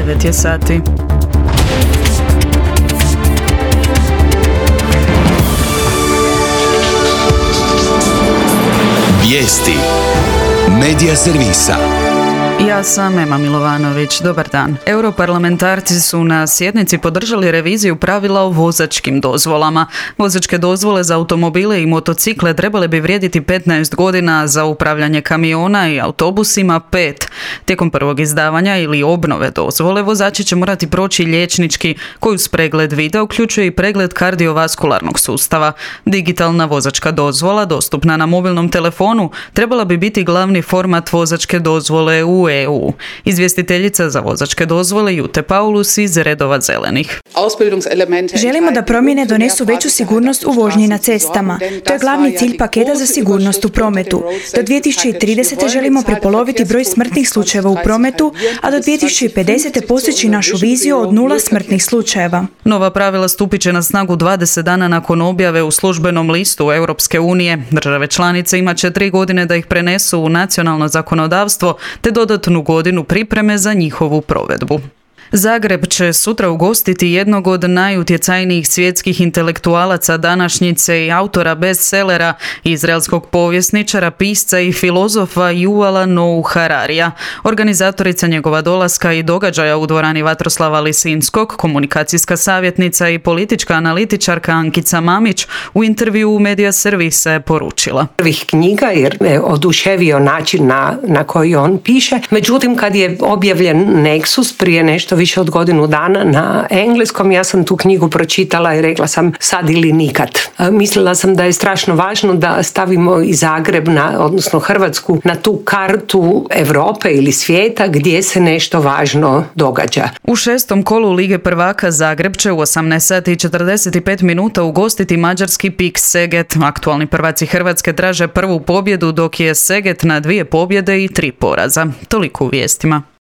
9 je sati. Vijesti Medija servisa. Ja sam Ema Milovanović. Dobar dan. Europarlamentarci su na sjednici podržali reviziju pravila o vozačkim dozvolama. Vozačke dozvole za automobile i motocikle trebale bi vrijediti 15 godina, za upravljanje kamiona i autobusima 5. Tijekom prvog izdavanja ili obnove dozvole vozači će morati proći liječnički, koji uz pregled vida uključuje i pregled kardiovaskularnog sustava. Digitalna vozačka dozvola, dostupna na mobilnom telefonu, trebala bi biti glavni format vozačke dozvole u EU. Izvjestiteljica za vozačke dozvole Jute Paulus iz redova Zelenih. Želimo da promjene donesu veću sigurnost u vožnji na cestama. To je glavni cilj paketa za sigurnost u prometu. Do 2030. želimo prepoloviti broj smrtnih slučajeva u prometu, a do 2050. postići našu viziju od 0 smrtnih slučajeva. Nova pravila stupit će na snagu 20 dana nakon objave u službenom listu Europske unije. Države članice imat će 3 godine da ih prenesu u nacionalno zakonodavstvo, te dodatnu godinu pripreme za njihovu provedbu. Zagreb će sutra ugostiti jednog od najutjecajnijih svjetskih intelektualaca današnjice i autora bestsellera, izraelskog povjesničara, pisca i filozofa Yuvala Noah Hararija. Organizatorica njegova dolaska i događaja u dvorani Vatroslava Lisinskog, komunikacijska savjetnica i politička analitičarka Ankica Mamić, u intervju u Medija servisa je poručila: prvih knjiga jer me oduševio način na koji on piše. Međutim, kad je objavljen Nexus prije nešto više od godinu dana na engleskom, ja sam tu knjigu pročitala i rekla sam sad ili nikad. Mislila sam da je strašno važno da stavimo i Zagreb, odnosno Hrvatsku, na tu kartu Europe ili svijeta gdje se nešto važno događa. U 6. kolu Lige prvaka Zagreb će u 18:45 ugostiti mađarski PIK Seget. Aktualni prvaci Hrvatske traže prvu pobjedu, dok je Seget na 2 pobjede i 3 poraza. Toliko u vijestima.